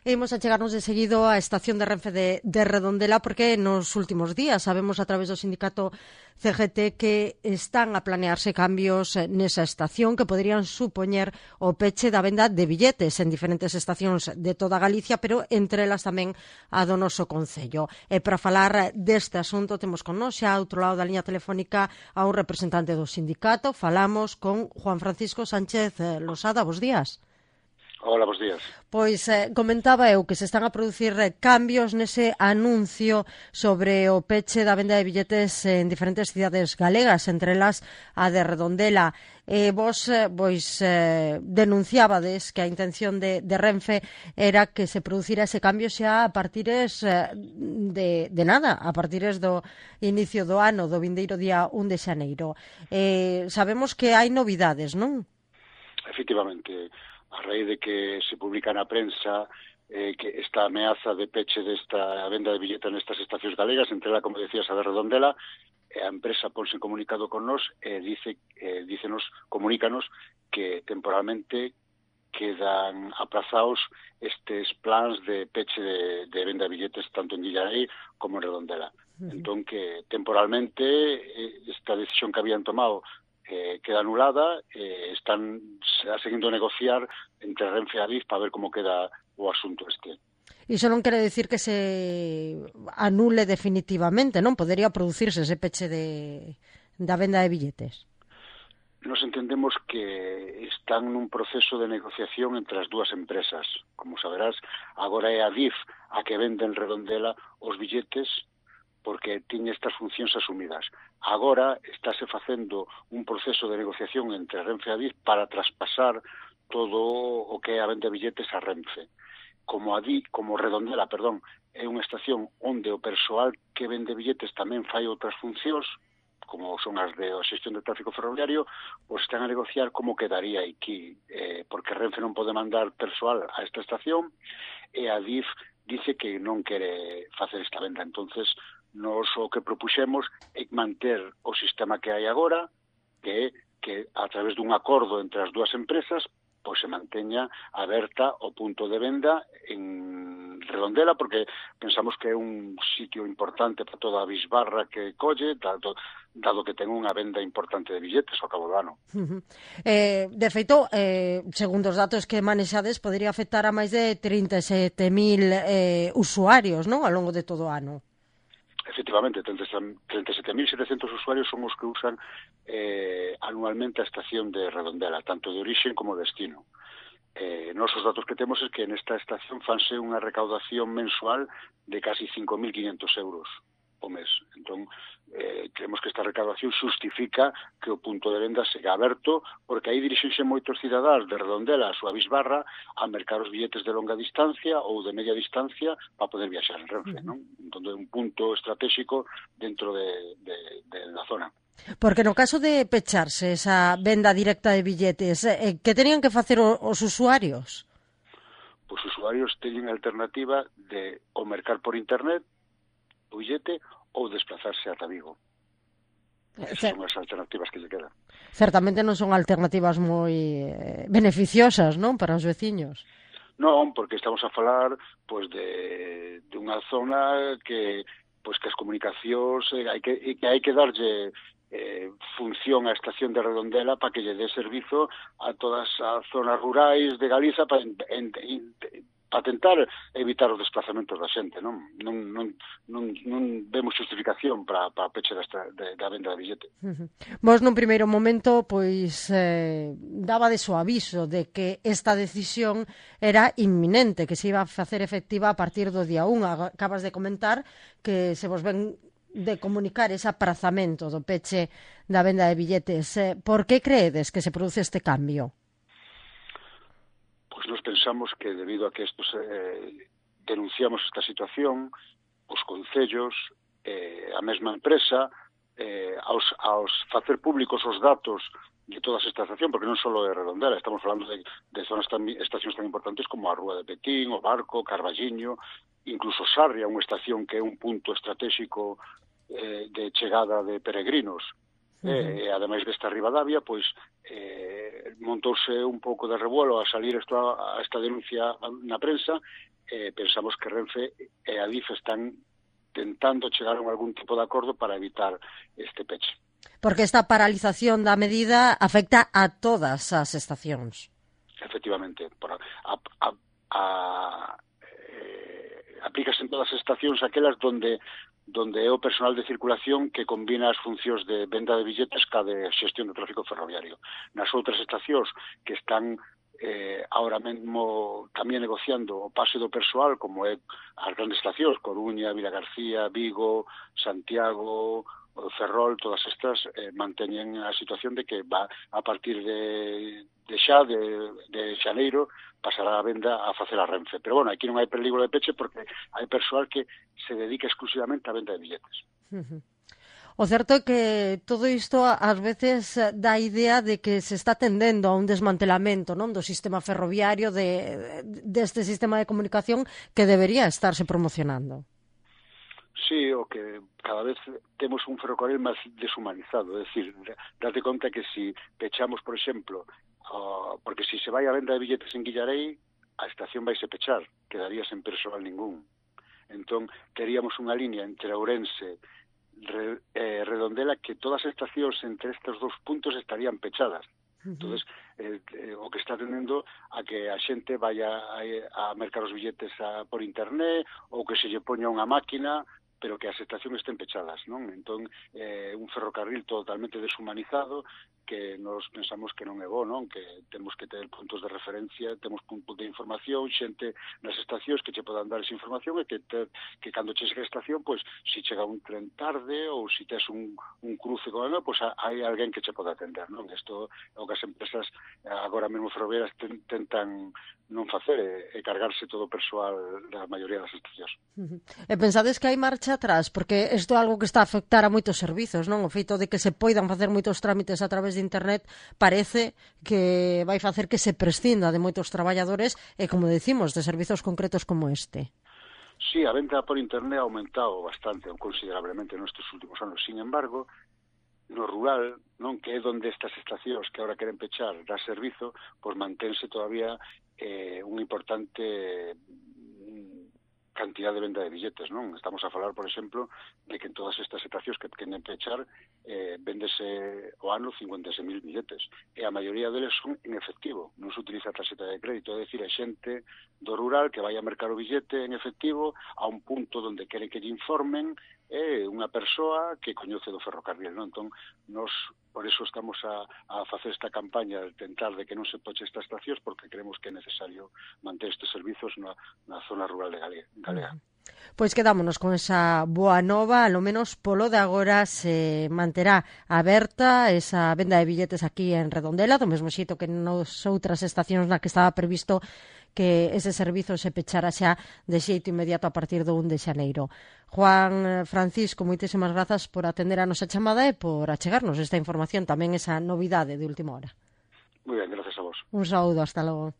Imos a chegarnos de seguido á estación de Renfe de Redondela porque nos últimos días sabemos a través do sindicato CGT que están a planearse cambios nesa estación que poderían supoñer o peche da venda de billetes en diferentes estacións de toda Galicia, pero entre elas tamén a do noso concello. E para falar deste asunto temos con nós xa ao outro lado da liña telefónica a un representante do sindicato. Falamos con Juan Francisco Sánchez Losada. Bos días. Hola, bos días. Pois comentaba eu que se están a producir cambios nese anuncio sobre o peche da venda de billetes en diferentes cidades galegas, entre elas a de Redondela. Vos denunciábades que a intención de Renfe era que se producira ese cambio xa a partires de nada, a partires do inicio do ano, do vindeiro día 1 de xaneiro. Sabemos que hai novidades, non? Efectivamente, a raíz de que se publica na prensa que esta ameaza de peche desta venda de billetes nestas estacións galegas, entre ela, como decías, a de Redondela, a empresa ponse en comunicado con nos e comunícanos que temporalmente quedan aprazados estes plans de peche de venda de billetes tanto en Dillarei como en Redondela. Entón, que temporalmente esta decisión que habían tomado queda anulada, están seguindo a negociar entre Renfe e Adif para ver como queda o asunto este. Iso non quere decir que se anule definitivamente, non? Podería producirse ese peche da venda de billetes. Nos entendemos que están nun proceso de negociación entre as dúas empresas. Como saberás, agora é Adif a que vende en Redondela os billetes porque tiña estas funcións asumidas. Agora estáse facendo un proceso de negociación entre Renfe e Adif para traspasar todo o que é a venda de billetes a Renfe. Como Redondela, é unha estación onde o persoal que vende billetes tamén fai outras funcións, como son as de xestión de tráfico ferroviario, pois están a negociar como quedaría aquí, porque Renfe non pode mandar persoal a esta estación e Adif dice que non quere facer esta venda. Entonces, nos o que propuxemos é manter o sistema que hai agora, que a través dun acordo entre as dúas empresas pois se manteña aberta o punto de venda en Redondela, porque pensamos que é un sitio importante para toda a bisbarra que colle, dado que ten unha venda importante de billetes ao cabo do ano. De feito, segundo os datos que manexades, podría afectar a máis de 37.000 usuarios, non? Ao longo de todo o ano. Efectivamente, 37.700 usuarios son os que usan anualmente a estación de Redondela, tanto de origen como destino. Nos os datos que temos é que nesta estación fanse unha recaudación mensual de casi 5.500 euros o mes. Entón, creemos que esta recaudación justifica que o punto de venda seja aberto, porque aí dirixense moitos cidadáns de Redondela a súa bisbarra a mercar os billetes de longa distancia ou de media distancia para poder viaxar en Renfe, non? Entón, é un punto estratégico dentro da zona. Porque no caso de pecharse esa venda directa de billetes, que tenían que facer os usuarios? Pois os usuarios teñen a alternativa de o mercar por internet o billete ou desplazarse ata Vigo. Esas son as alternativas que lle quedan. Certamente non son alternativas moi beneficiosas, non, para os veciños. Non, porque estamos a falar pois de unha zona que as comunicacións hai que darlle función á estación de Redondela para que lle dé servizo a todas as zonas rurais de Galiza para tentar evitar os desplazamentos da xente, non vemos justificación para a peche da venda de billete. Vos nun primeiro momento pois dabades o aviso de que esta decisión era inminente, que se iba a facer efectiva a partir do día 1. Acabas de comentar que se vos ven de comunicar ese aprazamento do peche da venda de billetes. Por que creedes que se produce este cambio? Nos pensamos que debido a que denunciamos esta situación, os concellos, a mesma empresa, aos facer públicos os datos de toda esta estación, porque non só é Redondela, estamos falando de estacións tan importantes como a Rúa de Petín, o Barco, Carballiño, incluso Sarria, unha estación que é un punto estratégico de chegada de peregrinos. E ademais desta Ribadavia, pois montouse un pouco de revuelo a salir esta denuncia na prensa. Pensamos que Renfe e Adif están tentando chegar a algún tipo de acordo para evitar este peche. Porque esta paralización da medida afecta a todas as estacións. Efectivamente, aplícase en todas as estacións aquelas donde é o personal de circulación que combina as funcións de venda de billetes ca de xestión do tráfico ferroviario. Nas outras estacións que están ahora mesmo tamén negociando o pase do persoal, como é as grandes estacións, Coruña, Vilagarcía, Vigo, Santiago, Ferrol, todas estas manteñen a situación de que va a partir de xaneiro pasará a venda a facer a Renfe. Pero bueno, aquí non hai peligro de peche porque hai persoal que se dedica exclusivamente á venda de billetes. O certo é que todo isto ás veces dá a idea de que se está tendendo a un desmantelamento, non, do sistema ferroviario, deste sistema de comunicación que debería estarse promocionando. Sí, o que cada vez temos un ferrocarril máis deshumanizado, é dicir, date conta que si pechamos, por exemplo, porque si se vai a venda de billetes en Guillarei, a estación vai se pechar, quedaría sen persoal ningún. Entón, teríamos unha línea entre Ourense Redondela que todas as estacións entre estes dous puntos estarían pechadas. Entonces, o que está tendendo a que a xente vaya a mercar os billetes por internet ou que se lle poña unha máquina, pero que as estacións estén pechadas, non? Entón, un ferrocarril totalmente deshumanizado que nos pensamos que non é bo, non? Que temos que ter puntos de referencia, temos puntos de información, xente nas estacións que che podan dar esa información e que cando che chega a estación, pois, si chega un tren tarde ou si tes un cruce con algo, pois hai alguén que che poda atender, non? Isto é o que as empresas agora mesmo ferroviarias tentan non facer, e cargarse todo o persoal da maioría das estacións. E pensades que hai marcha atrás? Porque isto é algo que está a afectar a moitos servizos, non? O feito de que se poidan facer moitos trámites a través de internet parece que vai facer que se prescinda de moitos traballadores e, como decimos, de servizos concretos como este. Sí, a venta por internet ha aumentado bastante, considerablemente nestes últimos anos. Sin embargo, no rural, non, que é onde estas estacións que agora queren pechar da servizo, pois mantense todavía unha importante cantidad de venda de billetes, non? Estamos a falar, por exemplo, de que en todas estas estacións que queren pechar véndese o ano 56.000 billetes, e a maioría deles son en efectivo, non se utiliza a tarxeta de crédito, é dicir, a xente do rural que vai a mercar o billete en efectivo a un punto onde quere que lle informen, é unha persoa que coñece do ferrocarril, non? Entón, nos por eso estamos a facer esta campaña de tentar de que non se poche estas estacións, porque creemos que é necesario manter estes servizos na zona rural de Galega. Pois quedámonos con esa boa nova, alo menos polo de agora se manterá aberta esa venda de billetes aquí en Redondela, do mesmo xeito que nas outras estacións na que estaba previsto que ese servizo se pechara xa de xeito inmediato a partir do 1 de xaneiro. Juan Francisco, moitísimas grazas por atender a nosa chamada e por achegarnos esta información, tamén esa novidade de última hora. Moi ben, gracias a vos. Un saúdo, hasta logo.